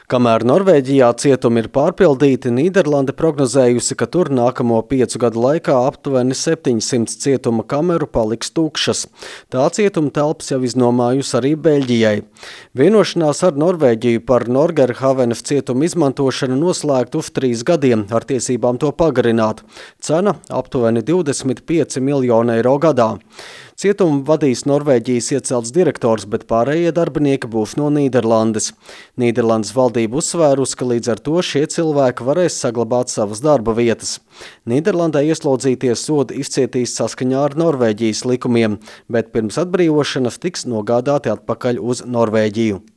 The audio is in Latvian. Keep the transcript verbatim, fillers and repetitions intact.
Kamēr Norvēģijā cietumi ir pārpildīti, Nīderlande prognozējusi, ka tur nākamo piecu gadu laikā aptuveni septiņsimt cietuma kameru paliks tukšas. Tā cietuma telpas jau iznomājusi arī Beļģijai. Vienošanās ar Norvēģiju par Norgerhavenes cietuma izmantošanu noslēgta uz trīs gadiem, ar tiesībām to pagarināt. Cena aptuveni divdesmit pieci miljoni eiro gadā. Cietumu vadīs Norvēģijas iecelts direktors, bet pārējie darbinieki būs no Nīderlandes. Nīderlandes valdība uzsvērusi, ka līdz ar to šie cilvēki varēs saglabāt savas darba vietas. Nīderlandē ieslodzīties sodu izcietīs saskaņā ar Norvēģijas likumiem, bet pirms atbrīvošanas tiks nogādāti atpakaļ uz Norvēģiju.